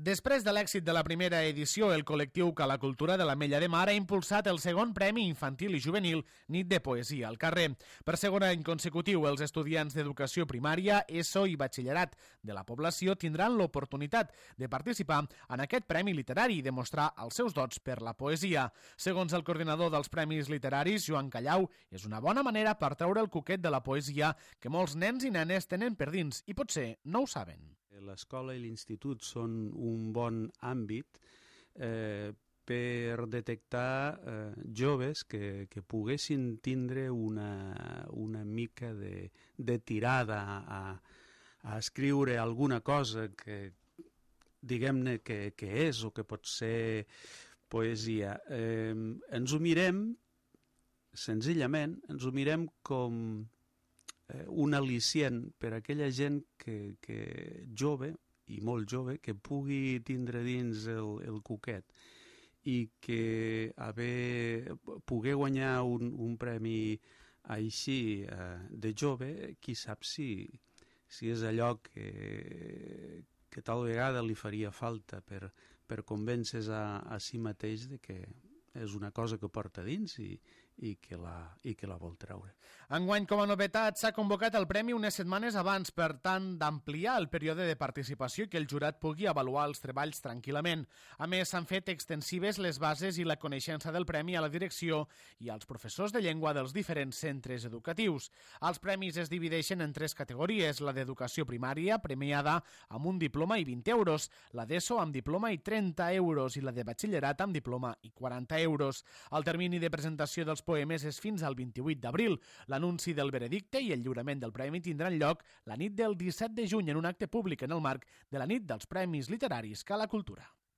Després de l'èxit de la primera edició, el col·lectiu Cala Cultura de l'Ametlla de Mar ha impulsat el segon Premi Infantil i Juvenil Nit de Poesia al carrer. Per segon any consecutiu, els estudiants d'educació primària, ESO i batxillerat de la població tindran l'oportunitat de participar en aquest premi literari i demostrar els seus dots per la poesia. Segons el coordinador dels Premis Literaris, Joan Callau, és una bona manera per treure el coquet de la poesia que molts nens i nenes tenen per dins i potser no ho saben. L'escola i l'institut són un bon àmbit per detectar joves que poguessin tindre una mica de tirada a escriure alguna cosa que diguem-ne que és o que pot ser poesia. Ens ho mirem, senzillament, com un al·licient per a aquella gent que jove, i molt jove, que pugui tindre dins el coquet i que poder guanyar un premi així de jove, qui sap si és allò que tal vegada li faria falta per convèncer a si mateix de que és una cosa que porta dins i que la vol treure. Enguany, com a novetat, s'ha convocat el premi unes setmanes abans per tant d'ampliar el període de participació i que el jurat pugui avaluar els treballs tranquil·lament. A més, s'han fet extensives les bases i la coneixença del premi a la direcció i als professors de llengua dels diferents centres educatius. Els premis es divideixen en 3 categories: la d'educació primària, premiada amb un diploma i 20 euros, la d'ESO amb diploma i 30 euros i la de batxillerat amb diploma i 40 euros. El termini de presentació dels poemes és fins al 28 d'abril. L'anunci del veredicte i el lliurament del premi tindran lloc la nit del 17 de juny en un acte públic en el marc de la nit dels Premis Literaris Cala Cultura.